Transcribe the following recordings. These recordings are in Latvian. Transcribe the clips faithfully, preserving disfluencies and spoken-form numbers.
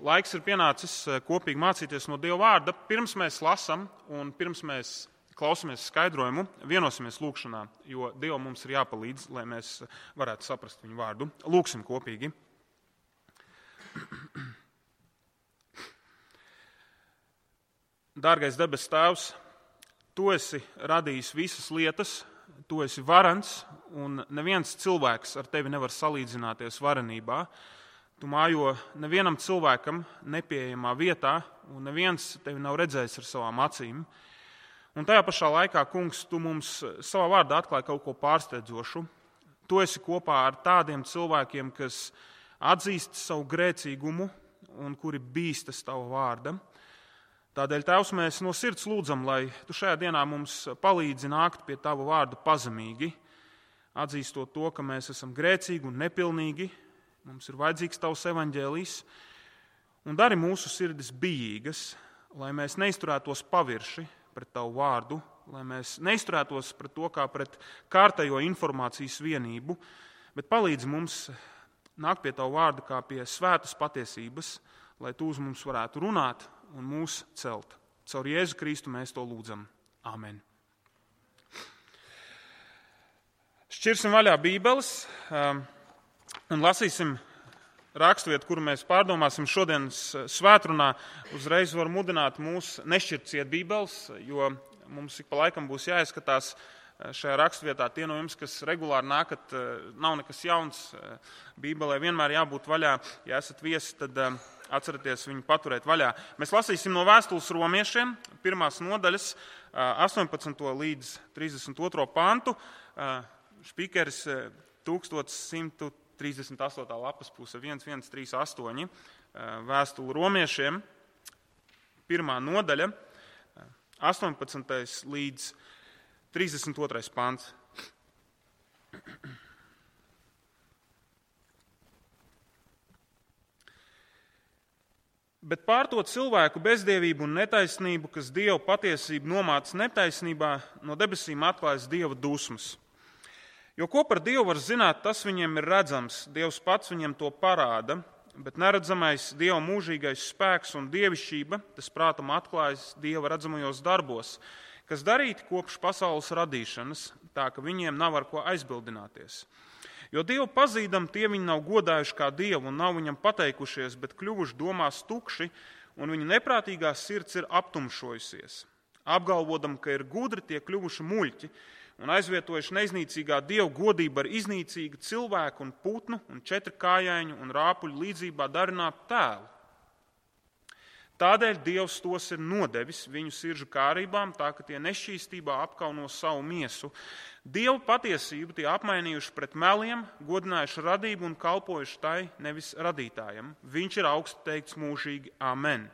laiks ir pienācis kopīgi mācīties no Dieva vārda. Pirms mēs lasam un pirms mēs klausamies skaidrojumu, vienosimies lūkšanā, jo Dievam mums ir jāpalīdz, lai mēs varētu saprast viņu vārdu. Lūksim kopīgi. Dārgais debes Tēvs, Tu esi radījis visas lietas, Tu esi varens, un neviens cilvēks ar Tevi nevar salīdzināties varenībā. Tu mājo nevienam cilvēkam nepieejamā vietā, un neviens Tevi nav redzējis ar savām acīm. Un tajā pašā laikā, Kungs, Tu mums savā vārdā atklāji kaut ko pārsteidzošu. Tu esi kopā ar tādiem cilvēkiem, kas atzīst savu grēcīgumu un kuri bīstas Tava vārda. Tādēļ, Tēvs, mēs no sirds lūdzam, lai Tu šajā dienā mums palīdzi nākt pie Tava vārda pazemīgi, atzīstot to, ka mēs esam grēcīgi un nepilnīgi, mums ir vajadzīgs Tavs evaņģēlijs, un dari mūsu sirdis bijīgas, lai mēs neizturētos pavirši pret Tavu vārdu, lai mēs neizturētos pret to kā pret kārtējo informācijas vienību, bet palīdzi mums nākt pie Tavu vārdu kā pie svētas patiesības, lai Tu uz mums varētu runāt un mūs celt. Caur Jēzu Kristu mēs to lūdzam. Āmen. Šķirsim vaļā Bībeles un lasīsim raksturvietu, kuru mēs pārdomāsim šodienas svētrunā. Uzreiz var mudināt mūs nešķirt ciet Bībeles, jo mums ik pa laikam būs jāizskatās šajā raksturvietā. Tie no jums, kas regulāri nākat, nav nekas jauns. Bībelē vienmēr jābūt vaļā. Ja esat viesi, tad atcerieties viņu paturēt vaļā. Mēs lasīsim no vēstules romiešiem, pirmās nodaļas, astoņpadsmito līdz trīsdesmit otro pantu. Špīkeris tūkstoš simt trīsdesmit astotā lapas puse, viens viens trīs astoņi, vēstule romiešiem, pirmā nodaļa, astoņpadsmitais līdz trīsdesmit otrais pants. Bet pār to cilvēku bezdievību un netaisnību, kas Dievu patiesību nomāca netaisnībā, no debesīm atklājas Dieva dusmas. Jo ko par Dievu var zināt, tas viņiem ir redzams, Dievs pats viņiem to parāda, bet neredzamais Dieva mūžīgais spēks un dievišķība, tas prātam atklājas Dieva redzamajos darbos, kas darīti kopš pasaules radīšanas, tā ka viņiem nav ar ko aizbildināties. Jo Dievu pazīdam, tie viņi nav godājuši kā Dievu un nav viņam pateikušies, bet kļuvuši domās tukši, un viņu neprātīgā sirds ir aptumšojusies. Apgalvodam, ka ir gudri, tie kļuvuši muļķi, un aizvietojuši neiznīcīgā Dievu godību ar iznīcīgu cilvēku un putnu un četrkājaiņu un rāpuļu līdzībā darinātu tēlu. Tādēļ Dievs tos ir nodevis viņu sirdžu kārībām, tā ka tie nešķīstībā apkauno savu miesu. Dievu patiesību tie apmainījuši pret meliem, godinājuši radību un kalpojuši tai, nevis radītājam. Viņš ir augstu teikts mūžīgi. Amen.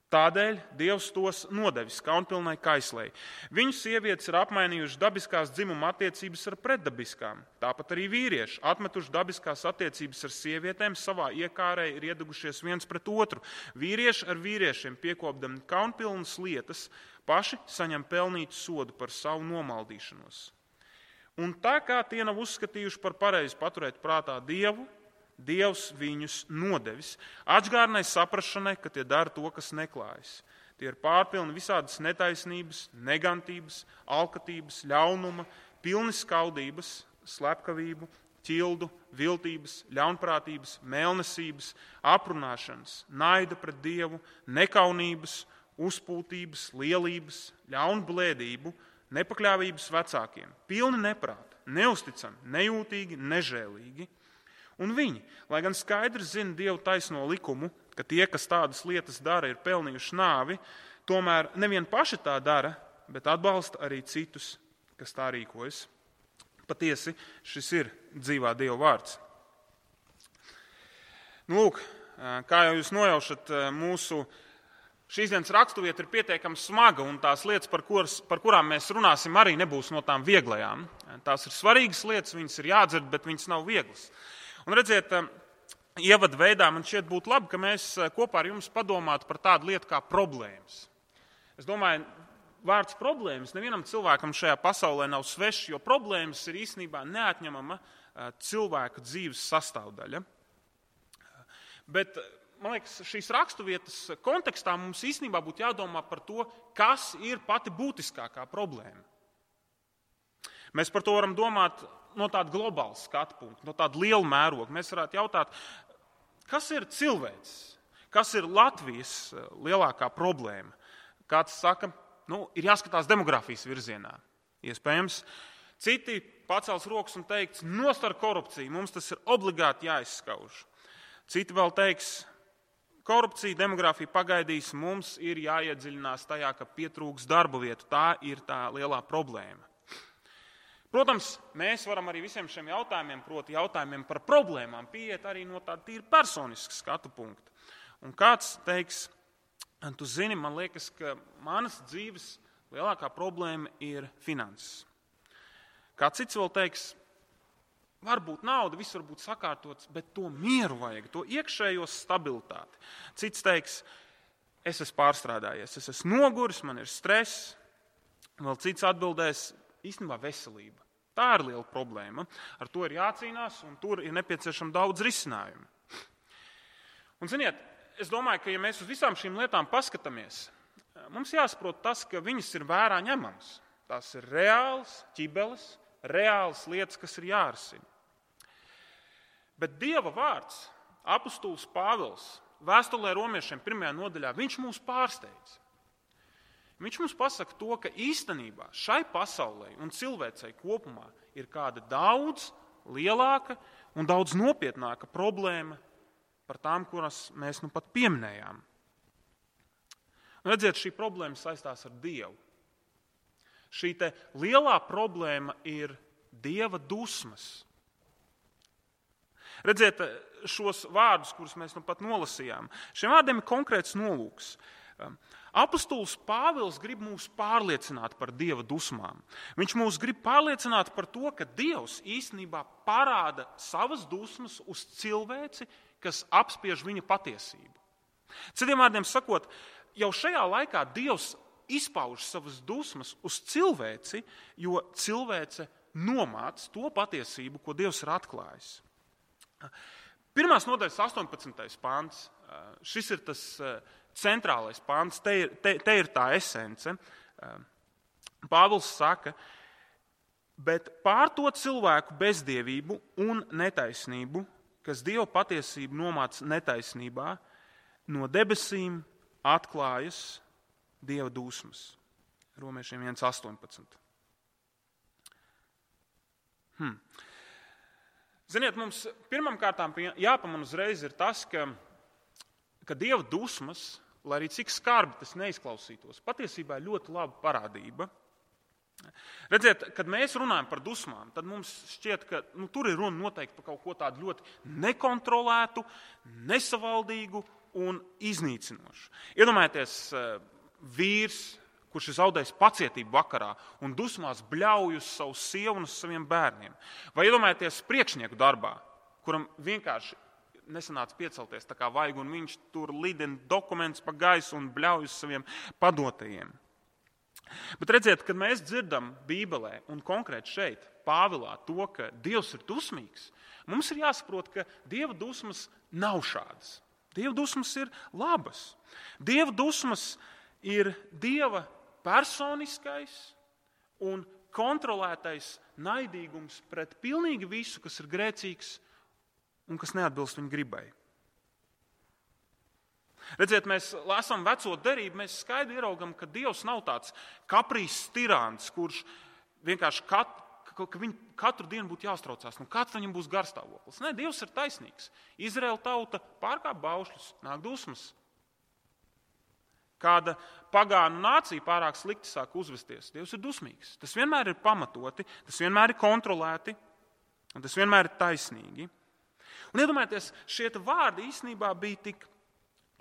Tādēļ Dievs tos nodevis kaunpilnai kaislei. Viņu sievietes ir apmainījuši dabiskās dzimuma attiecības ar pretdabiskām. Tāpat arī vīrieši, atmetuši dabiskās attiecības ar sievietēm, savā iekārē ir iedegušies viens pret otru. Vīrieši ar vīriešiem piekopdami kaunpilnas lietas, paši saņem pelnītu sodu par savu nomaldīšanos. Un tā kā tie nav uzskatījuši par pareizi paturēt prātā Dievu, Dievs viņus nodevis atžgārnai saprašanai, ka tie dara to, kas neklājas. Tie ir pārpilni visādas netaisnības, negantības, alkatības, ļaunuma, pilni skaudības, slepkavību, ķildu, viltības, ļaunprātības, mēlnesības, aprunāšanas, naida pret Dievu, nekaunības, uzpūtības, lielības, ļaunblēdību, nepakļāvības vecākiem, pilni neprāta, neusticami, nejūtīgi, nežēlīgi. Un viņi, lai gan skaidri zina Dievu taisno likumu, ka tie, kas tādas lietas dara, ir pelnījuši nāvi, tomēr nevien paši tā dara, bet atbalsta arī citus, kas tā rīkojas. Patiesi, šis ir dzīvā Dieva vārds. Nu, lūk, kā jau jūs nojaušat, mūsu šīs dienas raksturvieta ir pietiekami smaga, un tās lietas, par, kuras, par kurām mēs runāsim, arī nebūs no tām vieglajām. Tās ir svarīgas lietas, viņas ir jādzird, bet viņas nav vieglas. Un redziet, ievadu veidā man šķiet būtu labi, ka mēs kopā ar jums padomātu par tādu lietu kā problēmas. Es domāju, vārds problēmas nevienam cilvēkam šajā pasaulē nav svešs, jo problēmas ir īstenībā neatņemama cilvēka dzīves sastāvdaļa. Bet man liekas, šīs raksturvietas kontekstā mums īstenībā būtu jādomā par to, kas ir pati būtiskākā problēma. Mēs par to varam domāt no tāda globāla skatu punkta, no tāda liela mēroga. Mēs varētu jautāt, kas ir cilvēks, kas ir Latvijas lielākā problēma. Kāds saka, nu, ir jāskatās demografijas virzienā. Iespējams, citi pacels rokas un teiks, nost ar korupciju, mums tas ir obligāti jāizskauž. Citi vēl teiks, korupcija, demografija pagaidīs, mums ir jāiedziļinās tajā, ka pietrūks darba vietu. Tā ir tā lielā problēma. Protams, mēs varam arī visiem šiem jautājumiem, proti jautājumiem par problēmām, pieiet arī no tāda tīri personiska skatu punkta. Un kāds teiks, tu zini, man liekas, ka manas dzīves lielākā problēma ir finanses. Kāds cits vēl teiks, varbūt nauda, viss var būt sakārtots, bet to mieru vajag, to iekšējo stabilitāti. Cits teiks, es esmu pārstrādājies, es esmu noguris, man ir stress. Vēl cits atbildēs, īstenībā veselība. Tā ir liela problēma. Ar to ir jācīnās, un tur ir nepieciešama daudz risinājumu. Un, ziniet, es domāju, ka ja mēs uz visām šīm lietām paskatāmies, mums jāsaprot tas, ka viņas ir vērā ņemams. Tās ir reāls ķibeles, reāls lietas, kas ir jārisina. Bet Dieva vārds, apustulis Pāvils, vēstulē romiešiem pirmajā nodaļā, viņš mūs pārsteidz. Viņš mums pasaka to, ka īstenībā šai pasaulē un cilvēcei kopumā ir kāda daudz lielāka un daudz nopietnāka problēma par tām, kuras mēs nu pat pieminējām. Un redziet, šī problēma saistās ar Dievu. Šī te lielā problēma ir Dieva dusmas. Redziet, šos vārdus, kurus mēs nu pat nolasījām, šiem vārdiem ir konkrēts nolūks. Apustulis Pāvils grib mūs pārliecināt par Dieva dusmām. Viņš mūs grib pārliecināt par to, ka Dievs īstenībā parāda savas dusmas uz cilvēci, kas apspiež viņa patiesību. Citiem vārdiem sakot, jau šajā laikā Dievs izpauž savas dusmas uz cilvēci, jo cilvēce nomāc to patiesību, ko Dievs ir atklājis. Pirmās nodaļas astoņpadsmitais pāns, šis ir tas centrālais pāns, te ir, te, te ir tā esence. Pāvils saka, bet pār to cilvēku bezdievību un netaisnību, kas Dieva patiesību nomāc netaisnībā, no debesīm atklājas Dieva dusmas. Romiešiem viens astoņpadsmit. Hmm. Ziniet, mums pirmām kārtām jāpaman uzreiz ir tas, ka, ka Dieva dusmas, lai arī cik skarbi tas neizklausītos, patiesībā ir ļoti laba parādība. Redziet, kad mēs runājam par dusmām, tad mums šķiet, ka nu, tur ir runa noteikti par kaut ko tādu ļoti nekontrolētu, nesavaldīgu un iznīcinošu. Iedomājieties, vīrs, kurš ir zaudējis pacietību vakarā un dusmās bļauj uz savu sievu un uz saviem bērniem. Vai iedomājieties priekšnieku darbā, kuram vienkārši nesanāca piecelties tā kā vajag, un viņš tur lidina dokumentus pa gaisu un bļauj uz saviem padotajiem. Bet redziet, kad mēs dzirdam Bībelē un konkrēti šeit, Pāvilā, to, ka Dievs ir dusmīgs, mums ir jāsaprot, ka Dieva dusmas nav šādas. Dieva dusmas ir labas. Dieva dusmas ir Dieva personiskais un kontrolētais naidīgums pret pilnīgi visu, kas ir grēcīgs un kas neatbilst viņa gribai. Redziet, mēs lasām veco derību, mēs skaidri ieraugam, ka Dievs nav tāds kaprīzs tirāns, kurš vienkārši kat, ka viņu katru dienu būtu jāuztraucās, nu kāds viņam būs garstāvoklis. Nē, Dievs ir taisnīgs. Izraēla tauta pārkāp baušļus, nāk dusmas. Kāda pagānu nācija pārāk slikti sāk uzvesties, Dievs ir dusmīgs. Tas vienmēr ir pamatoti, tas vienmēr ir kontrolēti, un tas vienmēr ir taisnīgi. Un iedomājieties, šie vārdi īstenībā bija tik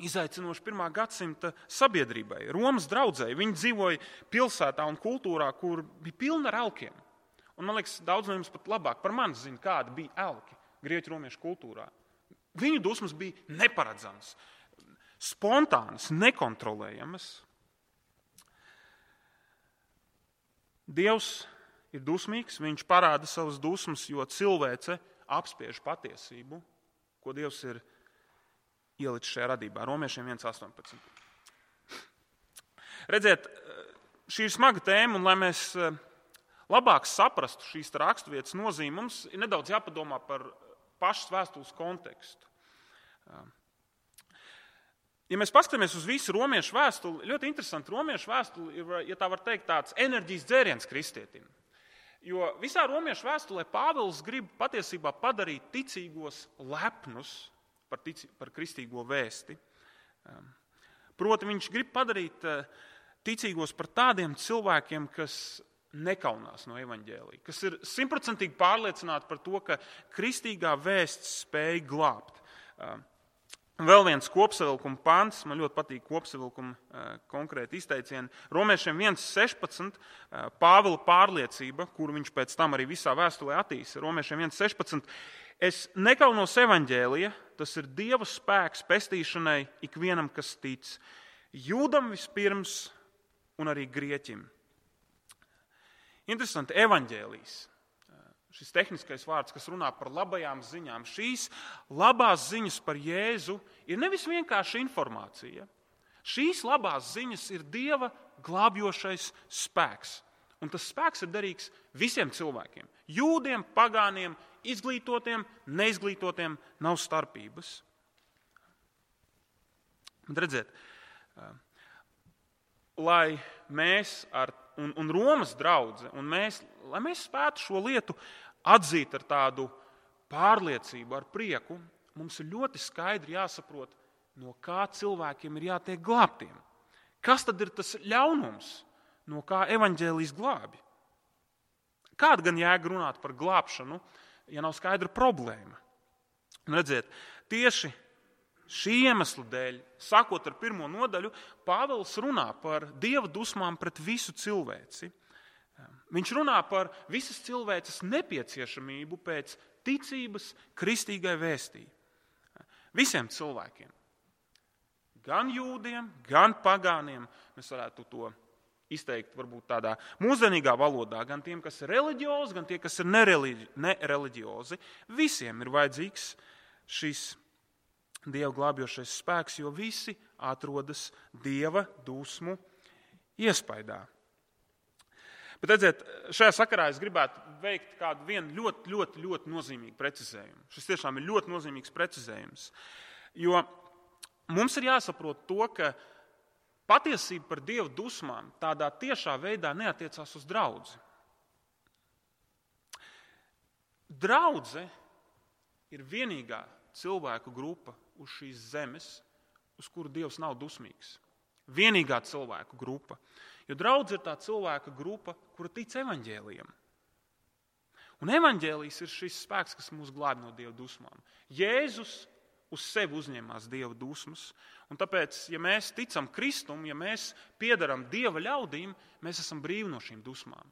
izaicinoši pirmā gadsimta sabiedrībai. Romas draudzēji, viņi dzīvoja pilsētā un kultūrā, kur bija pilna ar elkiem. Un man liekas, daudz no jums pat labāk par mani zina, kāda bija elki grieķu romiešu kultūrā. Viņu dusmas bija neparedzamas, spontānas, nekontrolējamas. Dievs ir dusmīgs, viņš parāda savas dusmas, jo cilvēce apspiež patiesību, ko Dievs ir ielicis šajā radībā. Romiešiem viens astoņpadsmit. Redziet, šī ir smaga tēma, un lai mēs labāk saprastu šīs raksturvietas nozīmi, mums ir nedaudz jāpadomā par pašas vēstules kontekstu. Ja mēs paskatāmies uz visu romiešu vēstuli, ļoti interesanti, romiešu vēstuli ir, ja tā var teikt, tāds enerģijas dzēriens kristietim. Jo visā romiešu vēstulē Pāvils grib patiesībā padarīt ticīgos lepnus par, tici, par kristīgo vēsti. Proti viņš grib padarīt ticīgos par tādiem cilvēkiem, kas nekaunās no evaņģēlija, kas ir simtprocentīgi pārliecināti par to, ka kristīgā vēsts spēj glābt. Vēl viens kopsavilkuma pants, man ļoti patīk kopsavilkuma konkrēti izteicieni. Romiešiem viens sešpadsmit, Pāvila pārliecība, kuru viņš pēc tam arī visā vēstulē attīsta. Romiešiem viens sešpadsmit, es nekaunos evaņģēlija, tas ir Dieva spēks pestīšanai ikvienam, kas tic, jūdam vispirms un arī grieķim. Interesanti, evaņģēlijs. Šis tehniskais vārds, kas runā par labajām ziņām. Šīs labās ziņas par Jēzu ir nevis vienkārši informācija. Šīs labās ziņas ir Dieva glābjošais spēks. Un tas spēks ir derīgs visiem cilvēkiem. Jūdiem, pagāniem, izglītotiem, neizglītotiem, nav starpības. Bet redziet, lai mēs ar, un, un Romas draudze, un mēs, lai mēs spētu šo lietu atzīt ar tādu pārliecību, ar prieku, mums ir ļoti skaidri jāsaprot, no kā cilvēkiem ir jātiek glābtiem. Kas tad ir tas ļaunums, no kā evaņģēlijs glābi? Kāda gan jēga runāt par glābšanu, ja nav skaidra problēma? Un redziet, tieši šī iemesla dēļ, sākot ar pirmo nodaļu, Pāvils runā par Dieva dusmām pret visu cilvēci. Viņš runā par visas cilvēces nepieciešamību pēc ticības kristīgai vēstī. Visiem cilvēkiem. Gan jūdiem, gan pagāniem, mēs varētu to izteikt varbūt tādā mūsdienīgā valodā, gan tiem, kas ir reliģiozi, gan tie, kas ir nereliģiozi. Visiem ir vajadzīgs šis Dieva glābjošais spēks, jo visi atrodas Dieva dusmu iespaidā. Bet redziet, šajā sakarā es gribētu veikt kādu vienu ļoti, ļoti, ļoti nozīmīgu precizējumu. Šis tiešām ir ļoti nozīmīgs precizējums. Jo mums ir jāsaprot to, ka patiesība par Dieva dusmām tādā tiešā veidā neatiecās uz draudzi. Draudze ir vienīgā cilvēku grupa uz šīs zemes, uz kuru Dievs nav dusmīgs. Vienīgā cilvēku grupa. Jo draudze ir tā cilvēka grupa, kura tic evaņģēlijam. Un evaņģēlijs ir šis spēks, kas mūs glābj no Dieva dusmām. Jēzus uz sevi uzņēmās Dieva dusmas, un tāpēc, ja mēs ticam Kristum, ja mēs piedaram Dieva ļaudīm, mēs esam brīvi no šīm dusmām.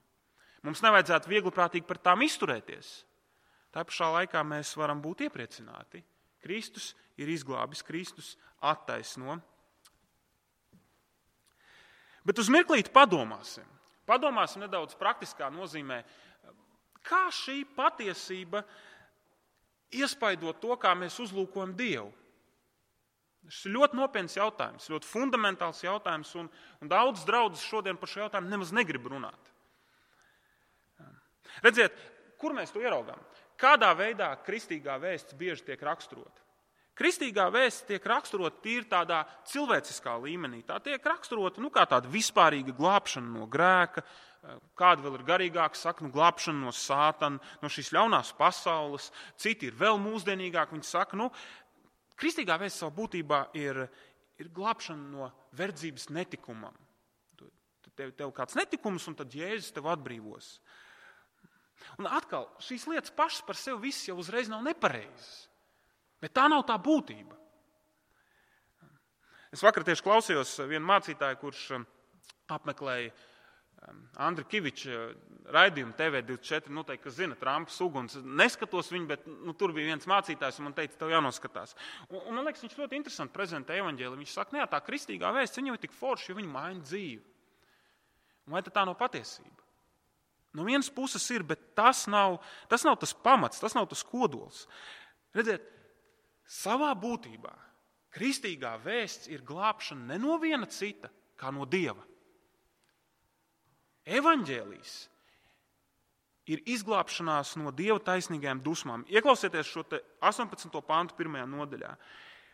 Mums nevajadzētu viegliprātīgi par tām izturēties. Tā pašā laikā mēs varam būt iepriecināti. Kristus ir izglābis, Kristus attaisno. Bet uz mirklīti padomāsim. Padomāsim nedaudz praktiskā nozīmē, kā šī patiesība iespaido to, kā mēs uzlūkojam Dievu. Šis ir ļoti nopietns jautājums, ļoti fundamentāls jautājums, un, un daudz draudzes šodien par šo jautājumu nemaz negrib runāt. Redziet, kur mēs to ieraugām? Kādā veidā kristīgā vēsts bieži tiek raksturota? Kristīgā vēsts tiek raksturota tīri tādā cilvēciskā līmenī. Tā tiek raksturota nu, kā tāda vispārīga glābšana no grēka, kāda vēl ir garīgāka, saka, nu, glābšana no sātana, no šīs ļaunās pasaules. Citi ir vēl mūsdienīgāki, viņi saka, nu, kristīgā vēsts savā būtībā ir, ir glābšana no verdzības netikumam. Tev, tev kāds netikums, un tad Jēzus tev atbrīvos. Un atkal, šīs lietas pašas par sevi viss jau uzreiz nav nepareizas. Bet tā nav tā būtība. Es vakar tieši klausījos vienu mācītāju, kurš apmeklēja Andri Kiviča raidījumu T V divdesmit četri, noteikti, kas zina Trumpas uguns. Neskatos viņu, bet nu, tur bija viens mācītājs, un man teica, tev jānoskatās. Un, un man liekas, viņš ļoti interesanti prezentē evaņģēliju. Viņš saka, ne, tā kristīgā vēsts, viņa jau ir tik forša, jo viņa maina dzīvi. Un vai tā nav patiesība? No vienas puses ir, bet tas nav, tas nav tas pamats, tas nav tas kodols. Redziet, savā būtībā Kristīgā vēsts ir glābšana ne no viena cita, kā no Dieva. Evaņģēlijs ir izglābšanās no Dieva taisnīgajām dusmām. Ieklausieties šo te astoņpadsmito pantu pirmajā nodaļā.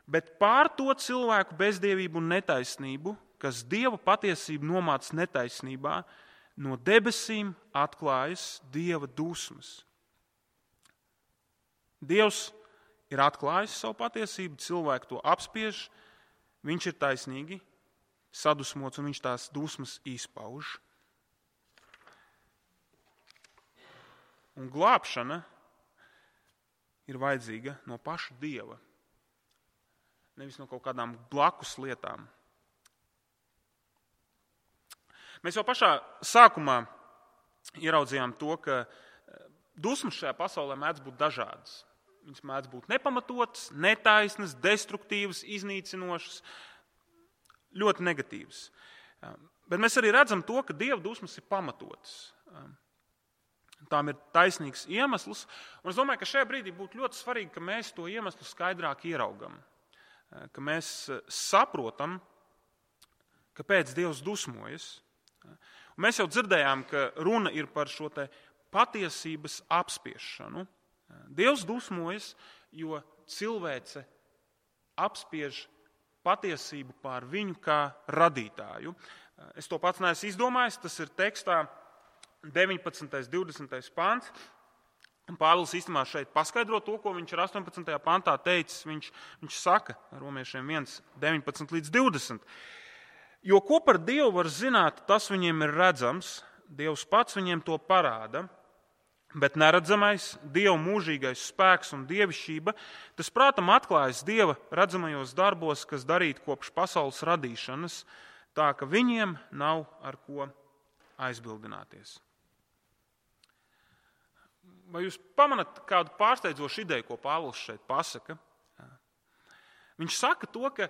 Bet pār to cilvēku bezdievību un netaisnību, kas Dieva patiesību nomāc netaisnībā, no debesīm atklājas Dieva dusmas. Dievs ir atklājis savu patiesību, cilvēku to apspiež, viņš ir taisnīgi sadusmots un viņš tās dusmas izpauž. Un glābšana ir vajadzīga no paša Dieva, nevis no kaut kādām blakus lietām. Mēs jau pašā sākumā ieraudzījām to, ka dusmas šajā pasaulē mēdz būt dažādas. Viņas mēdz būt nepamatotas, netaisnas, destruktīvas, iznīcinošas, ļoti negatīvas. Bet mēs arī redzam to, ka Dieva dusmas ir pamatotas. Tām ir taisnīgs iemesls, un es domāju, ka šajā brīdī būtu ļoti svarīgi, ka mēs to iemeslu skaidrāk ieraugam, ka mēs saprotam, kāpēc Dievs dusmojas. Un mēs jau dzirdējām, ka runa ir par šo te patiesības apspiešanu. Dievs dusmojas, jo cilvēce apspiež patiesību pār viņu kā radītāju. Es to pats neesmu izdomājis, tas ir tekstā deviņpadsmitais, divdesmitais pants. Pāvils īstenībā šeit paskaidro to, ko viņš ir astoņpadsmitajā pantā teicis. Viņš, viņš saka romiešiem viens, deviņpadsmit līdz divdesmit. Jo ko par Dievu var zināt, tas viņiem ir redzams, Dievs pats viņiem to parāda, bet neredzamais, Dieva mūžīgais spēks un dievišķība, tas prātam atklājas Dieva redzamajos darbos, kas darīti kopš pasaules radīšanas, tā ka viņiem nav ar ko aizbildināties. Vai jūs pamanat kādu pārsteidzošu ideju, ko Pāvils šeit pasaka? Viņš saka to, ka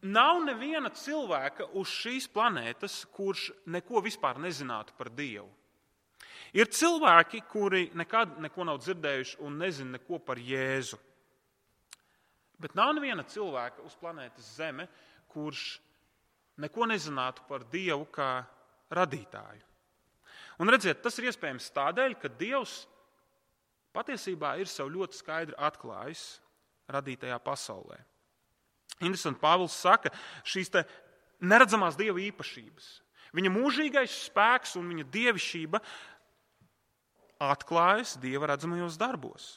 nav neviena cilvēka uz šīs planētas, kurš neko vispār nezinātu par Dievu. Ir cilvēki, kuri nekad neko nav dzirdējuši un nezina neko par Jēzu. Bet nav neviena cilvēka uz planētas Zeme, kurš neko nezinātu par Dievu kā radītāju. Un redziet, tas ir iespējams tādēļ, ka Dievs patiesībā ir sev ļoti skaidri atklājis radītajā pasaulē. Interesanti, Pāvils saka, šīs te neredzamās Dieva īpašības. Viņa mūžīgais spēks un viņa dievišķība atklājas Dieva redzamajos darbos.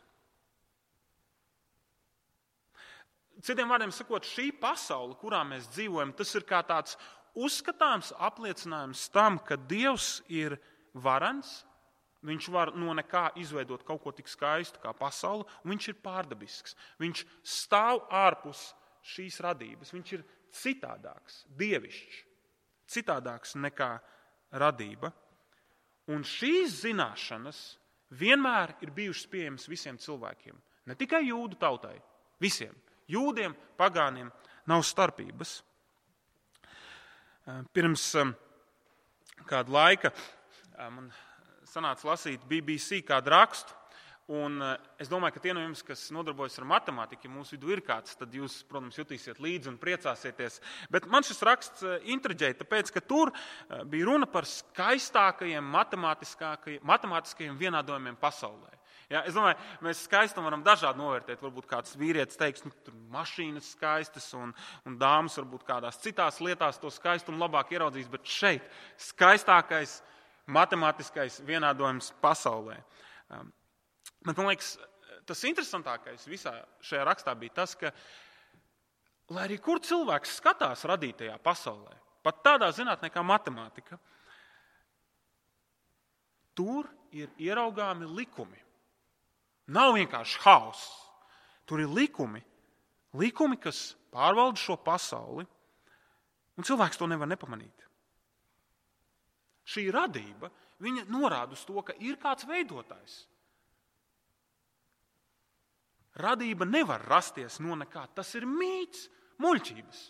Citiem vārdiem sakot, šī pasaule, kurā mēs dzīvojam, tas ir kā tāds uzskatāms apliecinājums tam, ka Dievs ir varens, viņš var no nekā izveidot kaut ko tik skaistu kā pasaule, un viņš ir pārdabisks. Viņš stāv ārpus šīs radības. Viņš ir citādāks, dievišķs, citādāks nekā radība. Un šīs zināšanas vienmēr ir bijušas pieejamas visiem cilvēkiem. Ne tikai jūdu tautai, visiem. Jūdiem, pagāniem nav starpības. Pirms kāda laika man sanāca lasīt B B C kādu rakstu, un es domāju, ka tie no jums, kas nodarbojas ar matemātiku, ja mūsu vidū ir kāds, tad jūs, protams, jutīsiet līdzi un priecāsieties. Bet man šis raksts intriģēja, tāpēc, ka tur bija runa par skaistākajiem matemātiskajiem vienādojumiem pasaulē. Ja, es domāju, mēs skaistumu varam dažādi novērtēt. Varbūt kāds vīrietis teiks, nu, tur mašīnas skaistas un, un dāmas varbūt kādās citās lietās to skaistumu labāk ieraudzīs, bet šeit skaistākais matemātiskais vienādojums pasaulē. Um, bet man liekas, tas interesantākais visā šajā rakstā bija tas, ka, lai arī kur cilvēks skatās radītajā pasaulē, pat tādā zinātnē kā matemātika, tur ir ieraugāmi likumi. Nav vienkārši hauss. Tur ir likumi, likumi, kas pārvalda šo pasauli, un cilvēks to nevar nepamanīt. Šī radība, viņa norāda uz to, ka ir kāds veidotājs. Radība nevar rasties no nekā. Tas ir mīts, muļķības.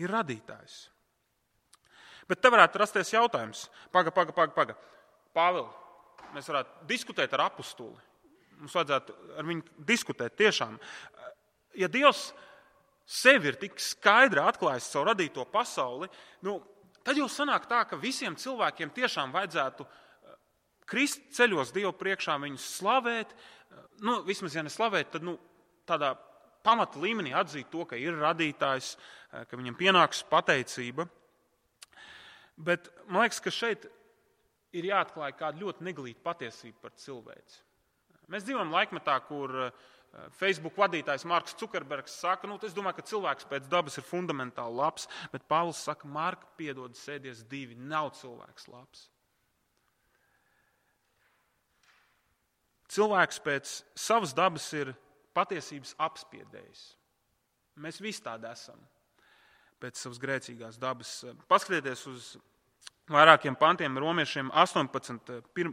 Ir radītājs. Bet te varētu rasties jautājums. Paga, paga, paga, paga. Pāvili, mēs varētu diskutēt ar apustuli. Mums vajadzētu ar viņu diskutēt tiešām. Ja Dievs sevi ir tik skaidri atklājis savu radīto pasauli, nu, tad jau sanāk tā, ka visiem cilvēkiem tiešām vajadzētu krist ceļos Dievu priekšā, viņus slavēt, nu, vismaz ja ne slavēt, tad nu, tādā pamata līmenī atzīt to, ka ir radītājs, ka viņam pienāks pateicība. Bet man liekas, ka šeit ir jāatklāj kāda ļoti neglīta patiesība par cilvēci. Mēs dzīvojam laikmetā, kur Facebook vadītājs Marks Cukerbergs saka, nu, es domāju, ka cilvēks pēc dabas ir fundamentāli labs, bet Pāvils saka, Marka, piedod, sēdies divi, nav cilvēks labs. Cilvēks pēc savas dabas ir patiesības apspiedējs. Mēs visi tādi esam pēc savas grēcīgās dabas. Paskatieties uz vairākiem pantiem, romiešiem astoņpadsmit pir,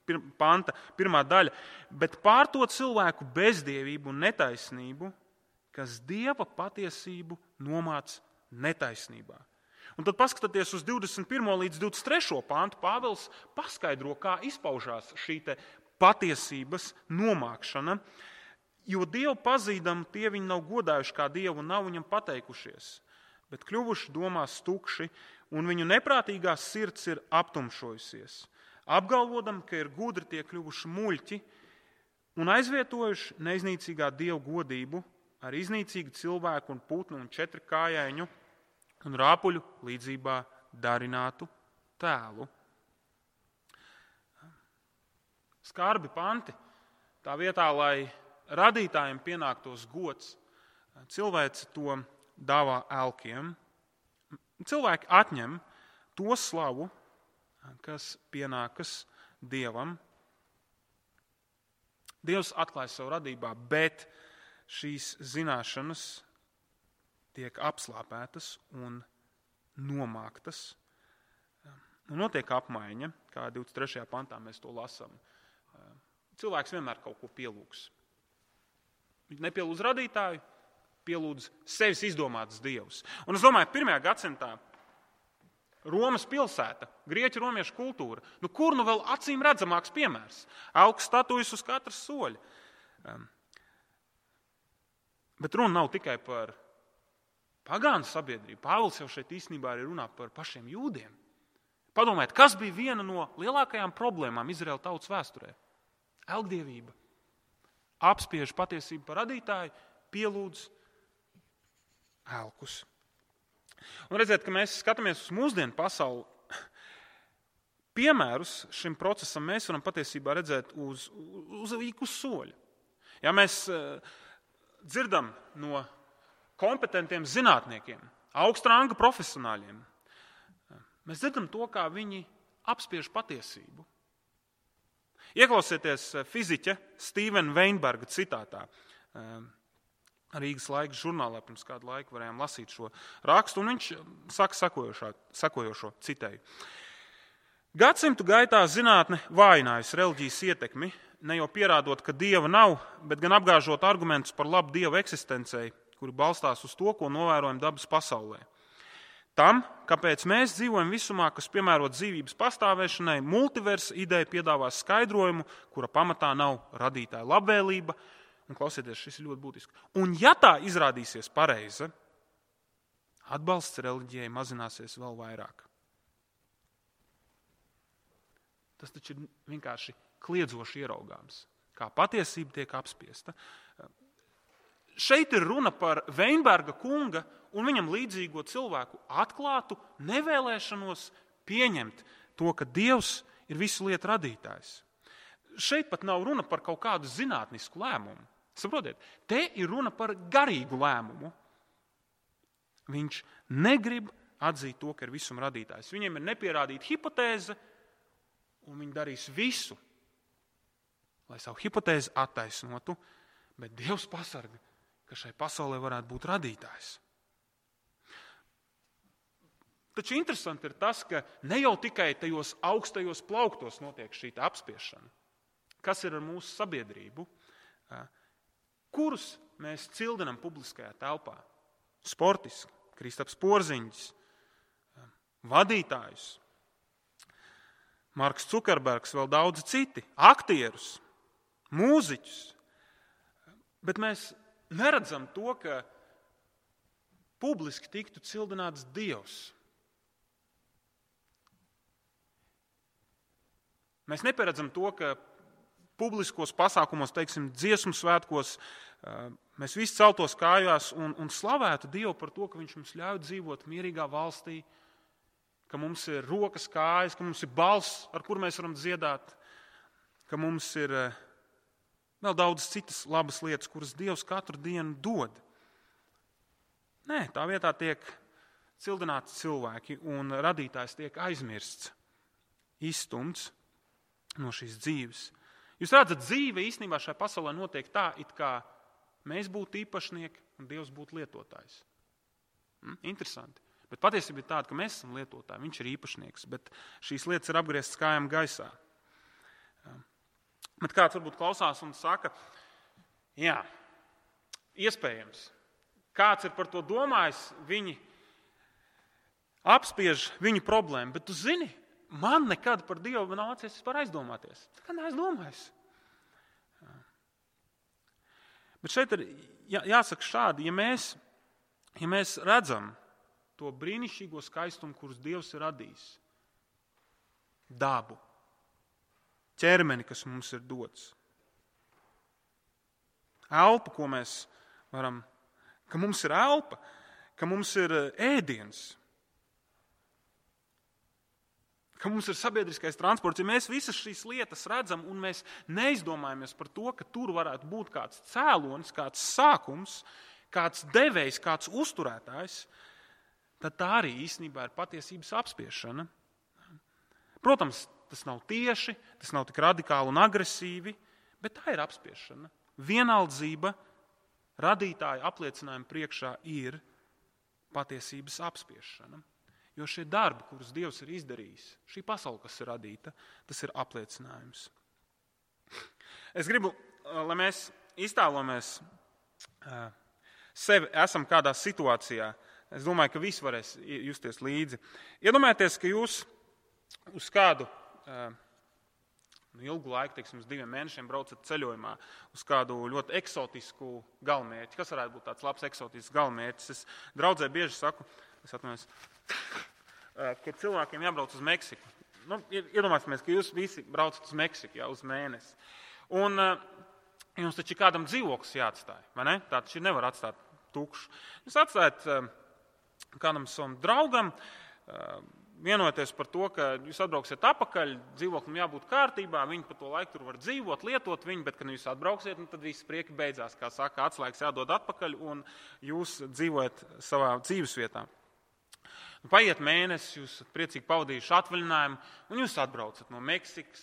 pir, panta, pirmā daļa. Bet pār to cilvēku bezdievību un netaisnību, kas Dieva patiesību nomāc netaisnībā. Un tad paskatieties uz divdesmit pirmo līdz divdesmit trešo pantu, Pāvils paskaidro, kā izpaužās šī te patiesības nomākšana, jo Dievu pazīdam, tie viņi nav godājuši kā Dievu un nav viņam pateikušies, bet kļuvuši domās tukši, un viņu neprātīgā sirds ir aptumšojusies, apgalvodam, ka ir gudri tie kļuvuši muļķi un aizvietojuši neiznīcīgā Dievu godību ar iznīcīgu cilvēku un putnu un četrkājaiņu un rāpuļu līdzībā darinātu tēlu. Skarbi panti, tā vietā, lai radītājiem pienāktos gods, cilvēci to dāvā elkiem. Cilvēki atņem to slavu, kas pienākas Dievam. Dievs atklāj savu radībā, bet šīs zināšanas tiek apslāpētas un nomāktas. Un notiek apmaiņa, kā divdesmit trešajā pantā mēs to lasām. Cilvēks vienmēr kaut ko pielūgs. Viņš nepielūdz radītāju, pielūdz sevis izdomātas dievus. Un es domāju, pirmajā gadsimtā Romas pilsēta, grieķu romiešu kultūra, nu kur nu vēl acīm redzamāks piemērs? Augs statujas uz katras soļa. Bet runa nav tikai par pagānu sabiedrību. Pāvils jau šeit īstenībā arī runā par pašiem jūdiem. Padomājiet, kas bija viena no lielākajām problēmām Izraēla tautas vēsturē? Elgdievība. Apspiež patiesību par radītāju, pielūdz elkus. Un redziet, ka mēs skatāmies uz mūsdienu pasauli, piemērus šim procesam mēs varam patiesībā redzēt uz, uz, uz soļa. Ja mēs dzirdam no kompetentiem zinātniekiem, augsta ranga profesionāļiem, mēs dzirdam to, kā viņi apspiež patiesību. Ieklausieties fiziķa Stīvena Veinberga citātā. Rīgas laiks žurnālā pirms kādu laiku varējām lasīt šo rakstu, un viņš saka sakojošo, sakojošo citēju. Gadsimtu gaitā zinātne vājinājusi reliģijas ietekmi, ne jau pierādot, ka Dieva nav, bet gan apgāžot argumentus par labu Dieva eksistencei, kuri balstās uz to, ko novērojam dabas pasaulē. Tam, kāpēc mēs dzīvojam visumā, kas piemērot dzīvības pastāvēšanai, multiversa ideja piedāvā skaidrojumu, kura pamatā nav radītāja labvēlība. Un klausieties, šis ir ļoti būtiski. Un ja tā izrādīsies pareiza, atbalsts reliģijai mazināsies vēl vairāk. Tas taču ir vienkārši kliedzoši ieraugāms, kā patiesība tiek apspiesta. Šeit ir runa par Veinberga kunga un viņam līdzīgo cilvēku atklātu nevēlēšanos pieņemt to, ka Dievs ir visu lietu radītājs. Šeit pat nav runa par kaut kādu zinātnisku lēmumu. Saprotiet, te ir runa par garīgu lēmumu. Viņš negrib atzīt to, ka ir visuma radītājs. Viņiem ir nepierādīta hipotēze, un viņi darīs visu, lai savu hipotēzi attaisnotu, bet Dievs pasarga, ka šai pasaulē varētu būt radītājs. Taču interesanti ir tas, ka ne jau tikai tajos augstajos plauktos notiek šī apspiešana. Kas ir ar mūsu sabiedrību? Kurus mēs cildinam publiskajā telpā? Sportiski, Kristaps Porziņģis, vadītājus, Marks Cukerbergs, vēl daudzi citi, aktierus, mūziķus. Bet mēs neredzam to, ka publiski tiktu cildināts Dievs. Mēs nepieredzam to, ka publiskos pasākumos, teiksim, dziesmu svētkos, mēs visi celtos kājās un, un slavētu Dievu par to, ka Viņš mums ļauj dzīvot mierīgā valstī, ka mums ir rokas, kājas, ka mums ir balss, ar kur mēs varam dziedāt, ka mums ir vēl daudz citas labas lietas, kuras Dievs katru dienu dod. Nē, tā vietā tiek cildināti cilvēki un radītājs tiek aizmirsts, izstumts no šīs dzīves. Jūs redzat, dzīve īstenībā šajā pasaulē notiek tā, it kā mēs būtu īpašnieki un Dievs būtu lietotājs. Hm? Interesanti. Bet patiesība ir tāda, ka mēs esam lietotāji, viņš ir īpašnieks, bet šīs lietas ir apgrieztas kājām gaisā. Bet kāds varbūt klausās un saka, jā, iespējams, kāds ir par to domājis, viņi apspiež viņu problēmu, bet tu zini, man nekad par Dievu nav nācies vispār aizdomāties. Tā kā neaizdomājis. Bet šeit ir jā, jāsaka šādi, ja mēs, ja mēs redzam to brīnišķīgo skaistumu, kurus Dievs ir radījis, dabu, ķermeni, kas mums ir dots, elpu, ko mēs varam, ka mums ir elpa, ka mums ir ēdiens, ka mums ir sabiedriskais transports. Ja mēs visas šīs lietas redzam un mēs neizdomājamies par to, ka tur varētu būt kāds cēlonis, kāds sākums, kāds devējs, kāds uzturētājs, tad tā arī īstenībā ir patiesības apspiešana. Protams, tas nav tieši, tas nav tik radikāli un agresīvi, bet tā ir apspiešana. Vienaldzība radītāja apliecinājuma priekšā ir patiesības apspiešana. Jo šie darbi, kurus Dievs ir izdarījis, šī pasaule, kas ir radīta, tas ir apliecinājums. Es gribu, lai mēs iztēlojamies sevi, esam kādā situācijā. Es domāju, ka visi varēs justies līdzi. Iedomājieties, ka jūs uz kādu nu, ilgu laiku, teiksim, uz diviem mēnešiem braucat ceļojumā uz kādu ļoti eksotisku galamērķi. Kas varētu būt tāds labs eksotisks galamērķis? Es draudzē bieži saku, es atvainojos, ka cilvēkiem jābrauc uz Meksiku. Nu, iedomāsimies, ka jūs visi braucat uz Meksiku jā, uz mēnesi. Un jums taču kādam dzīvoklis jāatstāj, vai ne? Tā taču nevar atstāt tukšu. Jūs atstājat kādam savam draugam, vienoties par to, ka jūs atbrauksiet atpakaļ, dzīvoklim jābūt kārtībā, viņi pa to laiku tur var dzīvot, lietot viņu, bet, kad jūs atbrauksiet, nu, tad viss prieki beidzās, kā saka, atslēgas jādod atpakaļ un jūs dzīvojat savā dzīvesvietā. Paiet mēnesis, jūs priecīgi pavadījuši atvaļinājumu, un jūs atbraucat no Meksikas,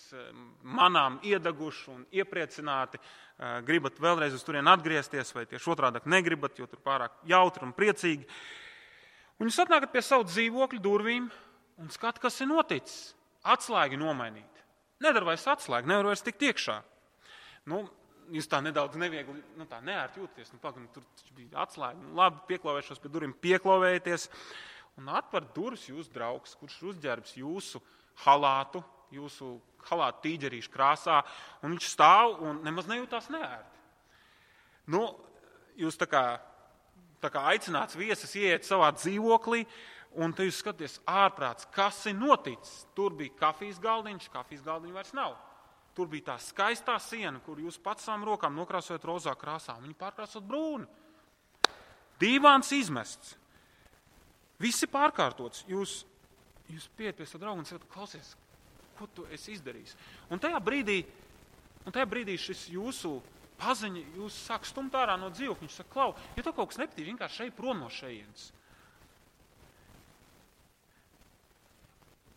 manām iedeguši un iepriecināti, gribat vēlreiz uz turien atgriezties, vai tieši otrādāk negribat, jo tur pārāk jautri un priecīgi. Un jūs atnākat pie savu dzīvokļu durvīm un skat, kas ir noticis. Atslēgi nomainīt. Nedara vairs atslēgi, nevar vairs tikt iekšā. Nu, jūs tā nedaudz neviegli, nu tā neērti jūties. Nu, pag, nu, tur bija atslēgi. Nu, labi, pieklavēšos pie durvīm, pieklavēties. Un atver durvis jūsu draugs, kurš ir uzģērbs jūsu halātu, jūsu halātu tīģerīšu krāsā, un viņš stāv un nemaz nejūtās neērti. Nu, jūs tā kā, tā kā aicināts viesis ieiet savā dzīvoklī, un te jūs skaties ārprāts, kas ir noticis. Tur bija kafijas galdiņš, kafijas galdiņa vairs nav. Tur bija tā skaistā siena, kur jūs pats savām rokām nokrāsojat rozā krāsā, un viņi pārkrāsot brūni. Dīvāns izmests. Viss ir pārkārtots. Jūs, jūs pieiet pie savu draugu un sakat, klausies, ko tu esi izdarījis? Un tajā brīdī, un tajā brīdī šis jūsu paziņa, jūs sāk stumt ārā no dzīvokļa. Viņš saka, klau, ja tev kaut kas nepatīk, vienkārši šeit prom no šejienes.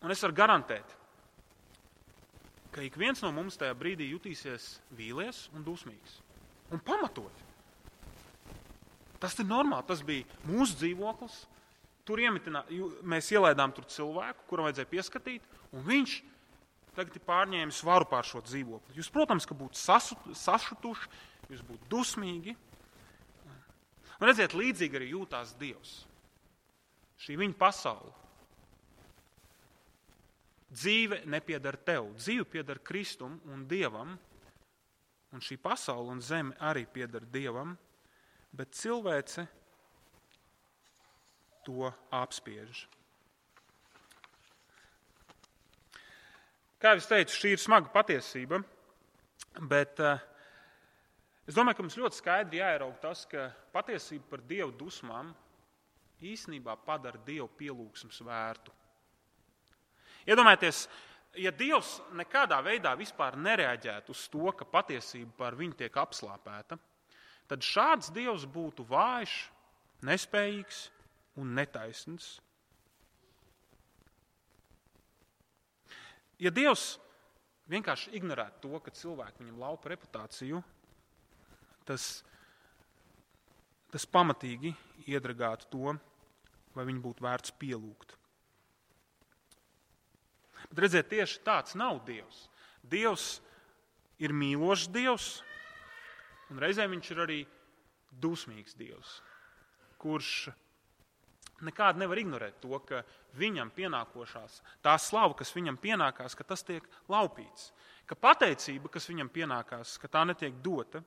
Un es varu garantēt, ka ik viens no mums tajā brīdī jutīsies vīlies un dusmīgs. Un pamatot. Tas ir normāli, tas bija mūsu dzīvoklis. Tur iemetinā, mēs ielaidām tur cilvēku, kuram vajadzēja pieskatīt, un viņš tagad ir pārņēmis varu pār šo dzīvokli. Jūs, protams, ka būtu sašutuši, jūs būtu dusmīgi. Un redziet, līdzīgi arī jūtās Dievs. Šī viņa pasaule. Dzīve nepiedar tev, dzīve piedar Kristum un Dievam, un šī pasaule un zeme arī piedar Dievam, bet cilvēce to apspiež. Kā jau es teicu, šī ir smaga patiesība, bet uh, es domāju, ka mums ļoti skaidri jāieraug tas, ka patiesība par Dievu dusmām īstenībā padara Dievu pielūgsmes vērtu. Iedomājieties, ja Dievs nekādā veidā vispār nereaģētu uz to, ka patiesība par viņu tiek apslāpēta, tad šāds Dievs būtu vājš, nespējīgs un netaisns. Ja Dievs vienkārši ignorētu to, ka cilvēki viņam laupa reputāciju, tas, tas pamatīgi iedragātu to, vai viņu būtu vērts pielūgt. Bet redziet, tieši tāds nav Dievs. Dievs ir mīlošs Dievs, un reizē viņš ir arī dusmīgs Dievs, kurš nekādi nevar ignorēt to, ka viņam pienākošās, tā slava, kas viņam pienākās, ka tas tiek laupīts, ka pateicība, kas viņam pienākās, ka tā netiek dota.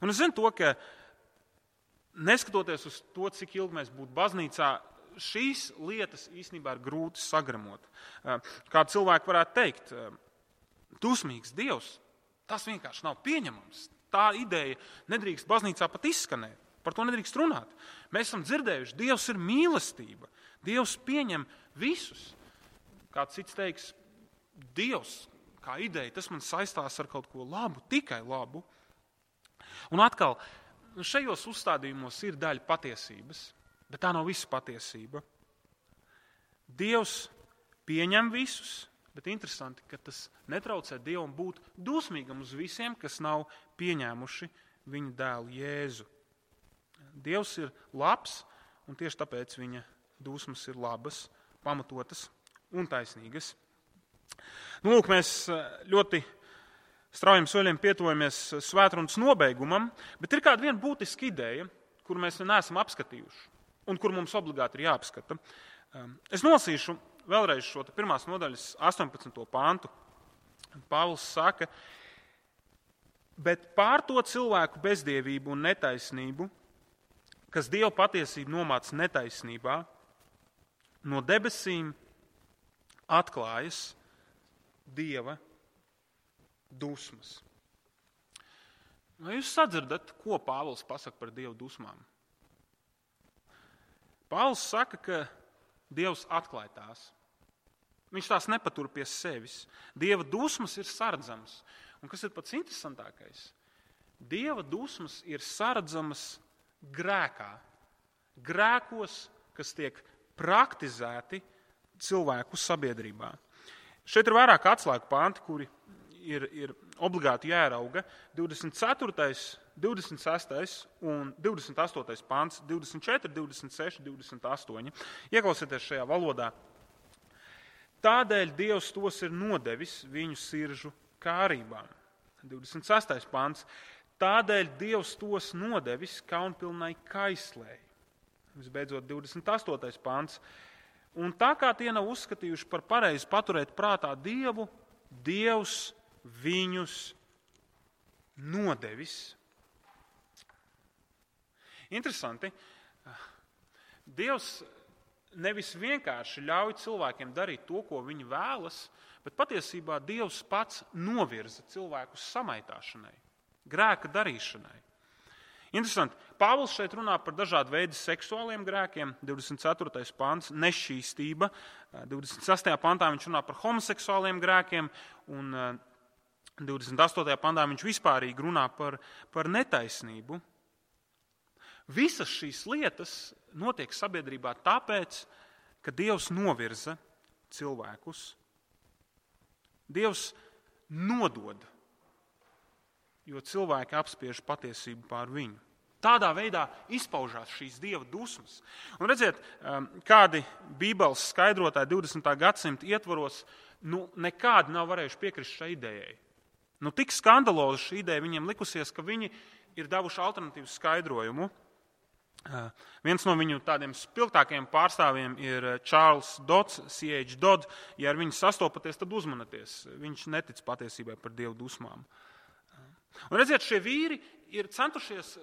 Un es zinu to, ka neskatoties uz to, cik ilgi mēs būtu baznīcā, šīs lietas īstenībā ir grūti sagramot. Kā cilvēki varētu teikt, dusmīgs Dievs, tas vienkārši nav pieņemams. Tā ideja nedrīkst baznīcā pat izskanēt. Par to nedrīkst runāt. Mēs esam dzirdējuši, Dievs ir mīlestība. Dievs pieņem visus. Kāds cits teiks, Dievs kā ideja, tas man saistās ar kaut ko labu, tikai labu. Un atkal, šajos uzstādījumos ir daļa patiesības, bet tā nav visa patiesība. Dievs pieņem visus, bet interesanti, ka tas netraucē Dievam būt dusmīgam uz visiem, kas nav pieņēmuši viņa dēlu Jēzu. Dievs ir labs, un tieši tāpēc viņa dusmas ir labas, pamatotas un taisnīgas. Nu, lūk, mēs ļoti straujiem soļiem pietuvojamies svētrunas nobeigumam, bet ir kāda viena būtiska ideja, kuru mēs neesam apskatījuši, un kur mums obligāti ir jāapskata. Es nolasīšu vēlreiz šo pirmās nodaļas astoņpadsmito pantu. Pāvils saka, bet pār to cilvēku bezdievību un netaisnību, kas Dieva patiesību nomāca netaisnībā, no debesīm atklājas Dieva dusmas. Vai jūs sadzirdat, ko Pāvils pasaka par Dieva dusmām? Pāvils saka, ka Dievs atklāja tās. Viņš tās nepatur pie sevis. Dieva dusmas ir saredzamas. Un kas ir pats interesantākais? Dieva dusmas ir saredzamas grēkā. Grēkos, kas tiek praktizēti cilvēku sabiedrībā. Šeit ir vairāk atslēgu panti, kuri ir, ir obligāti jārauga. divdesmit ceturtais, divdesmit sestais un divdesmit astotais pants, divdesmit četri, divdesmit seši, divdesmit astoņi. Ieklausieties šajā valodā. Tādēļ Dievs tos ir nodevis viņu siržu kārībām. divdesmit sestais pants. Tādēļ Dievs tos nodevis kaunpilnai kaislēji. Visbeidzot, divdesmit astotais pants. Un tā kā tie nav uzskatījuši par pareizi paturēt prātā Dievu, Dievs viņus nodevis. Interesanti. Dievs nevis vienkārši ļauj cilvēkiem darīt to, ko viņi vēlas, bet patiesībā Dievs pats novirza cilvēkus samaitāšanai, grēka darīšanai. Interesanti. Pāvils šeit runā par dažādu veidu seksuāliem grēkiem. divdesmit ceturtais pants, nešķīstība. divdesmit sestajā pantā viņš runā par homoseksuāliem grēkiem, un divdesmit astotajā pantā viņš vispārīgi runā par, par netaisnību. Visas šīs lietas notiek sabiedrībā tāpēc, ka Dievs novirza cilvēkus. Dievs nodod, jo cilvēki apspiež patiesību pār viņu. Tādā veidā izpaužās šīs Dieva dusmas. Un redziet, kādi Bībeles skaidrotāji divdesmitā gadsimta ietvaros nu, nekādi nav varējuši piekrist šai idejai. Nu, tik skandaloza šī ideja viņiem likusies, ka viņi ir devuši alternatīvu skaidrojumu. Viens no viņu tādiem spilgtākajiem pārstāvjiem ir Čārls Dods, C H Dodd. Ja ar viņu sastopaties, tad uzmanieties. Viņš netic patiesībai par Dieva dusmām. Un redziet, šie vīri ir centušies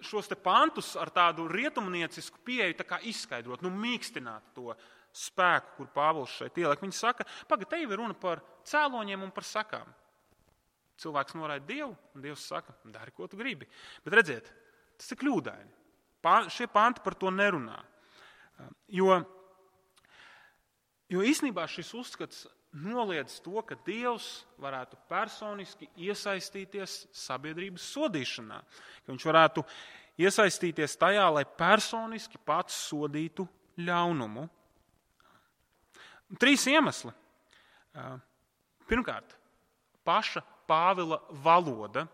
šos te pantus ar tādu rietumniecisku pieeju tā kā izskaidrot, nu mīkstināt to spēku, kur Pāvils šeit ieliek. Viņi saka, pagad, te jau ir runa par cēloņiem un par sakām. Cilvēks noraida Dievu, un Dievs saka, dari, ko tu gribi. Bet redziet, tas ir kļūdaini. Pā, šie panti par to nerunā. Jo, jo īstenībā šis uzskats noliedz to, ka Dievs varētu personiski iesaistīties sabiedrības sodīšanā. Ka viņš varētu iesaistīties tajā, lai personiski pats sodītu ļaunumu. Trīs iemesli. Pirmkārt, paša Pāvila valoda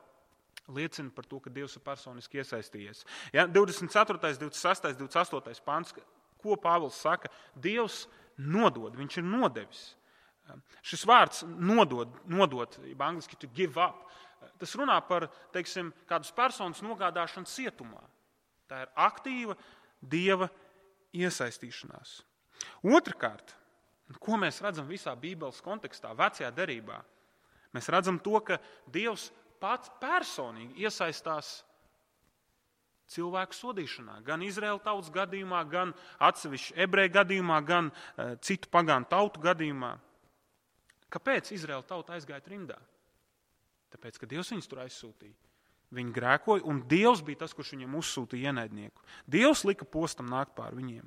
liecina par to, ka Dievs ir personiski iesaistījies. Ja, divdesmit ceturtais, divdesmit sestais, divdesmit astotais pants, ko Pāvils saka? Dievs nodod, viņš ir nodevis. Šis vārds nodod, nodot, jeb angliski to give up, tas runā par, teiksim, kādus personas nogādāšanu cietumā. Tā ir aktīva Dieva iesaistīšanās. Otrkārt, ko mēs redzam visā Bībeles kontekstā, vecajā derībā? Mēs redzam to, ka Dievs pats personīgi iesaistās cilvēku sodīšanā. Gan Izraēla tautas gadījumā, gan atsevišķi ebreju gadījumā, gan uh, citu pagānu tautu gadījumā. Kāpēc Izraēla tauta aizgāja trimdā? Tāpēc, ka Dievs viņus tur aizsūtīja. Viņi grēkoja, un Dievs bija tas, kurš viņiem uzsūtīja ienaidnieku. Dievs lika postam nākt pār viņiem.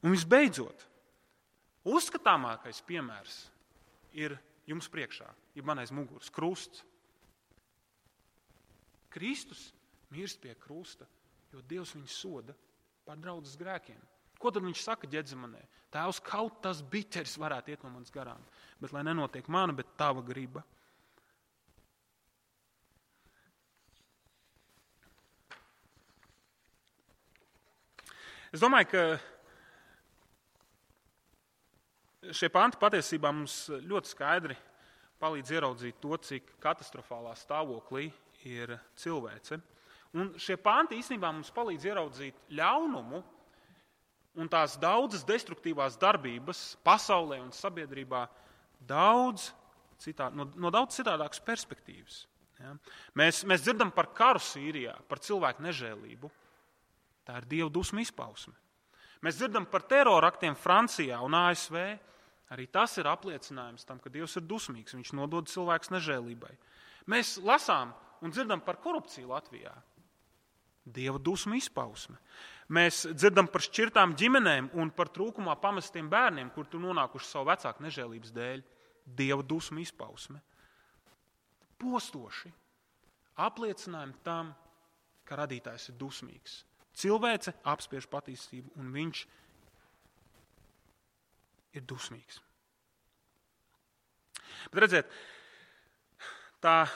Un visbeidzot, uzskatāmākais piemērs ir jums priekšā, ir man aiz muguras krusts. Kristus mirst pie krusta, jo Dievs viņu soda par draudzes grēkiem. Ko tad viņš saka Ģedzemanē? Tēvs, kaut tas biķeris varētu iet no manas garām, bet lai nenotiek mana, bet tava griba. Es domāju, ka šie panti patiesībā mums ļoti skaidri palīdz ieraudzīt to, cik katastrofālā stāvoklī ir cilvēce. Un šie panti īstenībā mums palīdz ieraudzīt ļaunumu un tās daudzas destruktīvās darbības pasaulē un sabiedrībā daudz citā, no, no daudz citādākas perspektīvas. Ja? Mēs, mēs dzirdam par karu Sīrijā, par cilvēku nežēlību. Tā ir Dieva dusmu izpausme. Mēs dzirdam par teroraktiem Francijā un A S V. Arī tas ir apliecinājums tam, ka Dievs ir dusmīgs. Viņš nodod cilvēkus nežēlībai. Mēs lasām un dzirdam par korupciju Latvijā. Dieva dusmu izpausme. Mēs dzirdam par šķirtām ģimenēm un par trūkumā pamestiem bērniem, kur tur nonākuši savu vecāku nežēlības dēļ. Dieva dusmu izpausme. Postoši apliecinājumi tam, ka radītājs ir dusmīgs. Cilvēce apspiež patiesību un viņš ir dusmīgs. Bet redziet, tā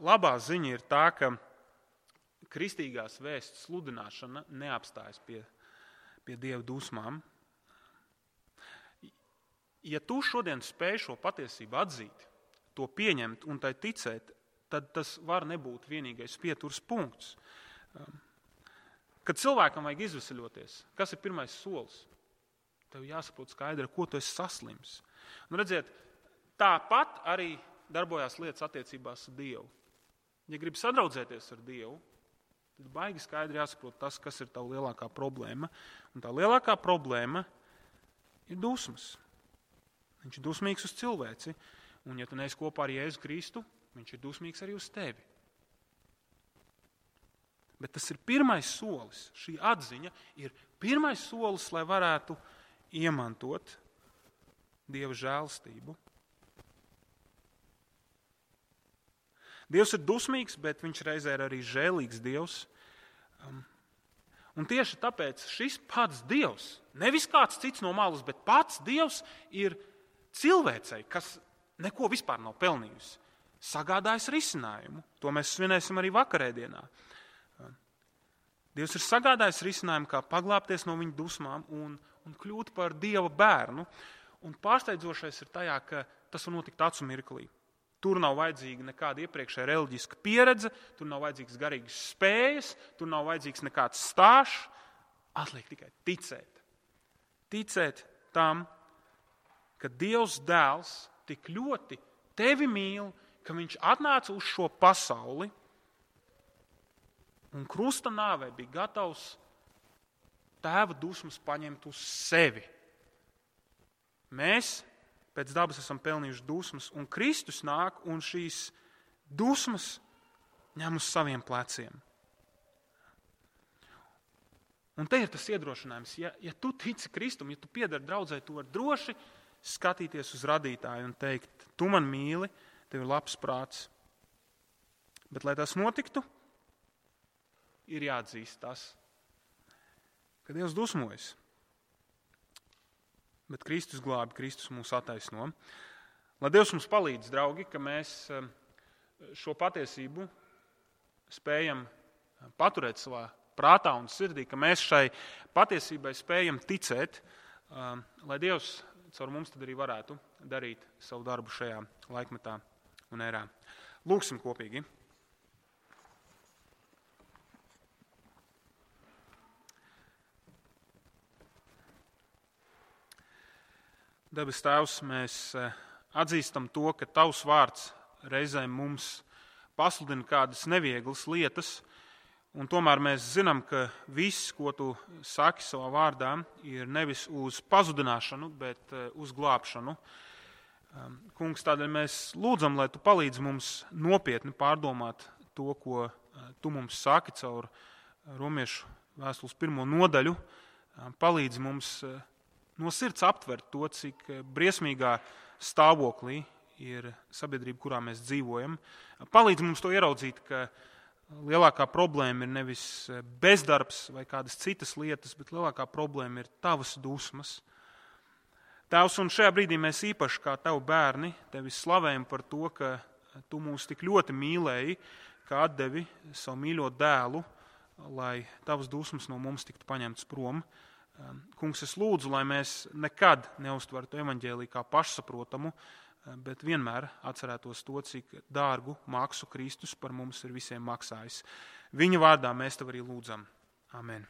labā ziņa ir tā, ka kristīgās vēsts sludināšana neapstājas pie, pie Dieva dusmām. Ja tu šodien spēj šo patiesību atzīt, to pieņemt un tai ticēt, tad tas var nebūt vienīgais pieturas punkts. Kad cilvēkam vajag izveseļoties, kas ir pirmais solis? Tev jāsaprot skaidri, ko tu esi saslims. Un redziet, tāpat arī darbojās lietas attiecībās ar Dievu. Ja gribi sadraudzēties ar Dievu, tad baigi skaidri jāsaprot tas, kas ir tava lielākā problēma. Un tā lielākā problēma ir dusmas. Viņš ir dusmīgs uz cilvēci. Un ja tu neesi kopā ar Jēzu Kristu, viņš ir dusmīgs arī uz tevi. Bet tas ir pirmais solis. Šī atziņa ir pirmais solis, lai varētu iemantot Dieva žēlastību. Dievs ir dusmīgs, bet viņš reizē ir arī žēlīgs Dievs. Um, un tieši tāpēc šis pats Dievs, nevis kāds cits no malas, bet pats Dievs ir cilvēcei, kas neko vispār nav pelnījusi, sagādājis risinājumu. To mēs svinēsim arī vakarēdienā. Um, Dievs ir sagādājis risinājumu, kā paglāpties no viņa dusmām un, un kļūt par Dieva bērnu. Un pārsteidzošais ir tajā, ka tas var notikt acu mirklī. Tur nav vajadzīga nekāda iepriekšēja reliģiska pieredze, tur nav vajadzīgas garīgas spējas, tur nav vajadzīgs nekāds stāžs. Atliek tikai ticēt. Ticēt tam, ka Dievs dēls tik ļoti tevi mīl, ka viņš atnāca uz šo pasauli, un krusta nāvei bija gatavs tēva dusmas paņemt uz sevi. Mēs pēc dabas esam pelnījuši dusmas, un Kristus nāk un šīs dusmas ņem uz saviem pleciem. Un te ir tas iedrošinājums, ja, ja tu tici Kristum, ja tu piedari draudzē, tu vari droši skatīties uz radītāju un teikt, tu man mīli, tev ir labs prāts. Bet, lai tas notiktu, ir jāatzīst tas, ka Dievs dusmojas. Bet Kristus glābi, Kristus mūs attaisno. Lai Dievs mums palīdz, draugi, ka mēs šo patiesību spējam paturēt savā prātā un sirdī, ka mēs šai patiesībai spējam ticēt, lai Dievs caur mums tad arī varētu darīt savu darbu šajā laikmetā un ērā. Lūksim kopīgi. Debes Tēvs, mēs atzīstam to, ka Tavs vārds reizēm mums pasludina kādas nevieglas lietas, un tomēr mēs zinām, ka viss, ko Tu saki savā vārdā, ir nevis uz pazudināšanu, bet uz glābšanu. Kungs, tādēļ mēs lūdzam, lai Tu palīdzi mums nopietni pārdomāt to, ko Tu mums saki caur Romiešu vēstules pirmo nodaļu. Palīdzi mums no sirds aptvert to, cik briesmīgā stāvoklī ir sabiedrība, kurā mēs dzīvojam. Palīdzi mums to ieraudzīt, ka lielākā problēma ir nevis bezdarbs vai kādas citas lietas, bet lielākā problēma ir Tavas dusmas. Tēvs, un šajā brīdī mēs īpaši kā Tavu bērni Tevi slavējam par to, ka Tu mūs tik ļoti mīlēji, ka atdevi savu mīļo dēlu, lai Tavas dusmas no mums tiktu paņemtas prom. Kungs, es lūdzu, lai mēs nekad neuztvertu evaņģēliju kā pašsaprotamu, bet vienmēr atcerētos to, cik dārgu maksu Kristus par mums ir visiem maksājis. Viņa vārdā mēs Tev arī lūdzam. Amen.